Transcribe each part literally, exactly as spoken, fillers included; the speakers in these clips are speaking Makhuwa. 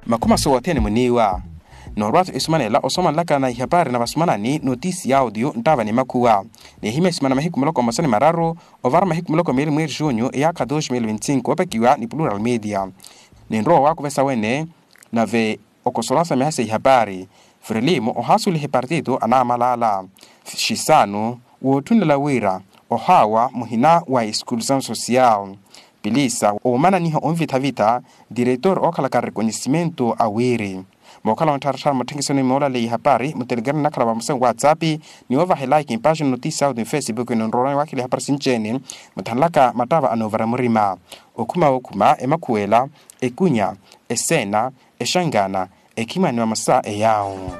Makhuma sowo othene muniiwa. Noorwa-tho esumanela osomanelaka na ihapari na vasumanani notisi ya audio nttaava ni makhuwa. Nihimya esumana mahiku muloko mmosa ni mararu ovara mahiku muloko meeli mweeri junyu eyaakha dos mil vinti cinco opakiwa ni plural media. Ninrowa waakuvesa wene nave okosolasa mihaso ya ihapari, frelimo ohaasuweliha epartito anaamalaala. Xisanu wootthunela wira ohaawa muhina wa eskulusano social. Pilisa omananiha onvitha-vitha diretor ookhalaka rekonyisimento a wiri. Mookhala ontthartthara mutthenkisoni moolaleya ihapari mutelegrama nnakhala vamosa nwatsapi ni ovaha elaiki mpaaxini notisi ya audio nfesipuku ninroorwani waakhela ihapari sinci-ene. Muthanlaka mattaava anoovara murima okhuma wookhuma emakhuwela, ekunya, eseena, exangana, ekhimani vamosa eyaawu.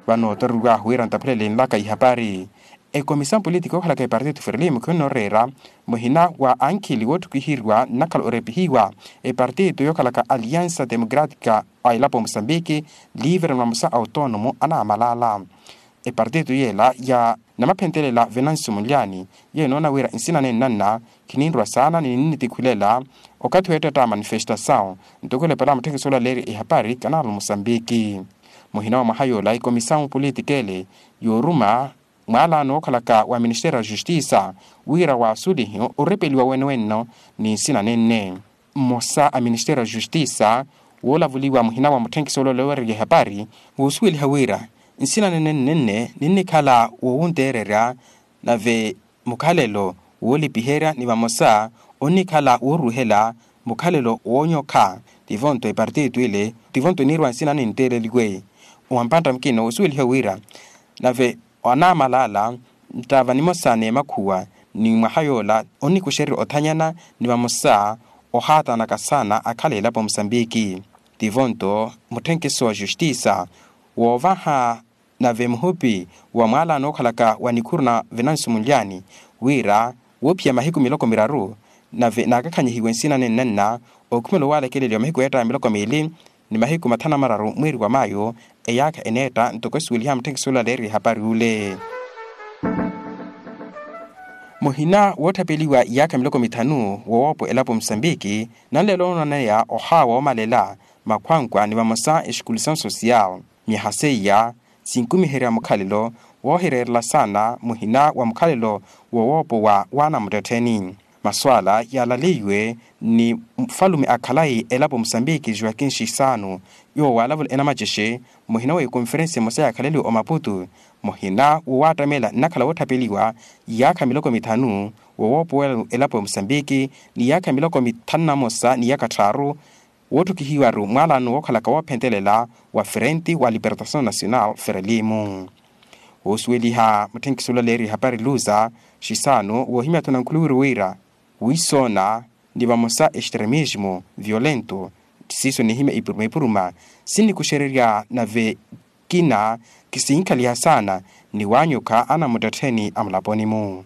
Vano otoreriwahu wira ntaphulele nlaka ihapari. Ekomisiyon polítika ookhalaka epartito frelimo khinoreera muhina wa ankhili wootthukihiwa nnakhala orepihiwa epartito yookhalaka aliansa democratika a elapo musambiki livre na vamosa autoonomo anaamalaala. Epartito yeela ya namaphentelela venancio mulyani yeenoona wira nsina nenanna khininrwa saana ni ninnitikhwilela okathi weettetta manifestasawu. Ntoko elepela mutthekiso olaleerya ehapari kanaalo musambiki muhina wa mwaha yoola ekomisiyon polítika ele yooruma mwaalaano wookhalaka wa ministeri ya justisa wira waasulihi orepeliwa wene wenno ni nsina nenne. Mmosa a ministeri ya justisa woolavuliwa muhina wa mutthenkisi olole oweererya ehapari woosuweliha wira nsina nenne nnenne ninnikhala woowunteererya nave mukhalelo woolipiherya ni vamosa onnikhala wooruhela mukhalelo woonyokha. Tivo-nto epartito ile tivo-nto eniirwa nsina ninteeleliwe. Wampantta mukina woosuweliha wira nave anaamalaala nttaava nimosa n'emakhuwa ni mwaha yoola onnikuxererya othanyana ni vamosa ohaatanaka saana akhala elapo musambiki. Tivo-nto mutthenkiso wa justisa woovaha nave muhupi wa mwaalaano ookhalaka wa nikhuru na venancio mulyani wira woophiya mahiku miloko miraru nave naakakhanyihiwe nsina nennanna okhumela owaalekeleliwa mahiku eettaya miloko miili ni mahiku mathanu na mararu mweeri wa mayo. Eyaakha eneetta ntoko esuweliha mutthenkisi olaleerya ehapari ule. Muhina wootthapeliwa iyaakha miloko mithanu wowoopo elapo musambiki nanleelo noonaneya ohaawa oomalela makhwankwa ni vamosa exikulisano social. Myaha seiya sinkumiherya mukhalelo woohireerela saana muhina wa mukhalelo wowoopo wa waanamuttettheni. Maswaala yaalaleiwe ni mufalume a khalayi elapo musambiki joakin xisano yoowo waalavula enamacexe muhina wa ekonferensi emosa yaakhaleliwe omaputu muhina wowaattameela nnakhala wootthapeliwa iyaakha miloko mithanu wowoopo wa elapo ya musambiki ni iyaakha miloko mithanu na mosa ni iyaakha tthaaru woottukihiwaru mwaalaano wookhalaka woophentelela wa frente wa libertasion nacional frelimo. Woosuweliha mutthenkisi olaleerya ehapari luza xisano woohimya-tho nankhuliwiri wira wiisoona ni vamosa extremismo violento siiso nihimya ipuruma ipuruma sinnikuxererya nave kina kisiinkhaliha saana ni waanyukha anamuttettheni a mulaponi-mu.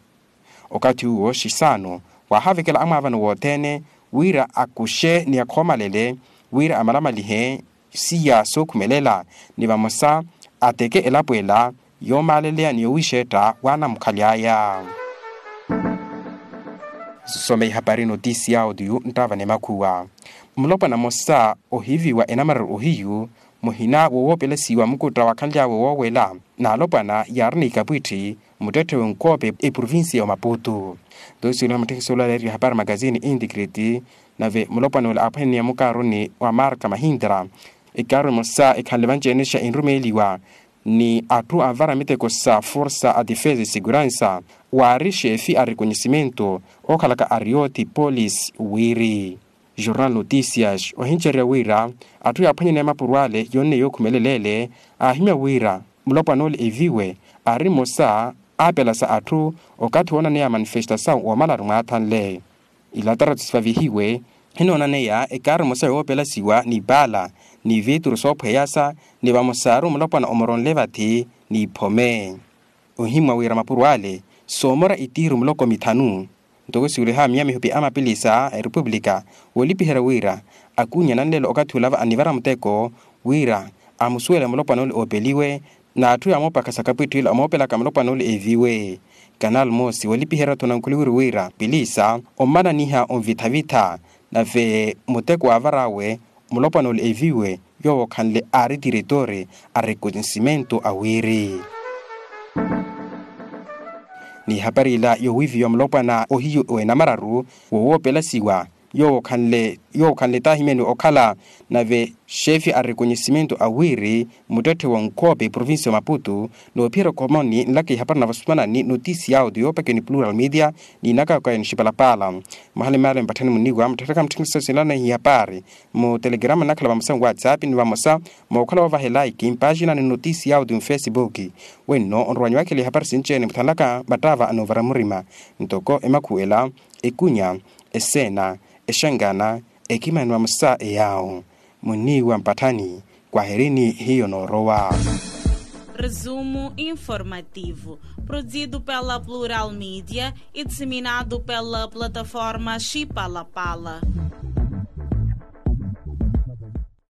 Okathi uwo xisano waahavekela amwaavano wothene wira akuxe ni akhoomalele wira amalamalihe siiya sookhumelela ni vamosa ateke elapo ela yoomaaleleya ni yowiixetta waanamukhali aya. Someya ihapari notisi ya audio nttaava ni makhuwa. Mulopwana mmosa ohiiviwa enamararu ohiyu muhina wowoopelesiwa mukutta waakhanly'awe woowela n'alopwana yaari n'ikapwitthi muttetthe w'enkoope eprovincia ya omaputu. Nto isuweliha mutthekiso olaleerya ehapari magazini integrity nave mulopwana ole aaphwanene ya mukaaruni wa marka mahintra ekaaru emosa ekhanle vanci-ene xa enrumeeliwa ni atthu anvara miteko sa forsa a defesa e seguransa waari xeefi a rekonyisimento ookhalaka ariyoti polisi wiiri jornal notisias ohincerya wira atthu yaaphwanyaneya mapuro ale yonne yookhumelela ele aahimya wira mulopwana ole eviwe aari mmosa aapelasa atthu okathi woonaneya manifestasawu woomalaru mwaathanle. Ilataratu sivavihiwe hinoonaneya ekaaru emosa yoopelasiwa ni paala ni vituru soophweyasa ni vamosa aari omulopwana omoronle vathi ni phome. Ohimmwa wira mapuro ale soomora itiiru muloko mithanu. Ntoko siweliha miyamihupi a mapilisa a erepuplika woolipiherya wira akunya nanleelo okathi olava anivara muteko wira amusuwele mulopwana ole oopeliwe n'atthu yaamoopakha sakapwitthi ila omoopelaka mulopwana ole eeviwe. Kanal moosi walipiherya-tho nankhuliwiri wira pilisa ommananiha onvitha-vitha, nave muteko waavar'awe mulopwana ole eviwe yoowo okhanle aari tiretore a rekonissimento a wiri. N'ihapari ila yowiiviwa mulopwana ohiyu w'enamararu wowoopelasiwa yoowo okhanle taahimyani okhala nave xefi a rekonissimento a wiri muttetthe wa nkoope provincia ya maputu. Noophiyerya okhomoni nlaka ihapari na vasumanani notisi ya audio yoopakiwa ni plural media, n'inakaka ya nixipalapala. Mahala emaala empatthani muniwa mutthettaka mutthekisa sinlana ihapari mu telegrama nnakhala vamosa nwatsapp ni vamosa mookhala woovaha elaiki mpaaxina ni notisi ya audio mfesibuki. Wenno onrowanyiwakela ihapari sinci-ene muthanlaka mattaava anoovara murima ntoko emakhuwela, ekunya, eseena, exangana, ekimani vamosa eyaawo. Muniwa mpatthani. Kwaherini hiyo noorowa. Resumo informativo, produzido pela plural media e disseminado pela plataforma xipalapala.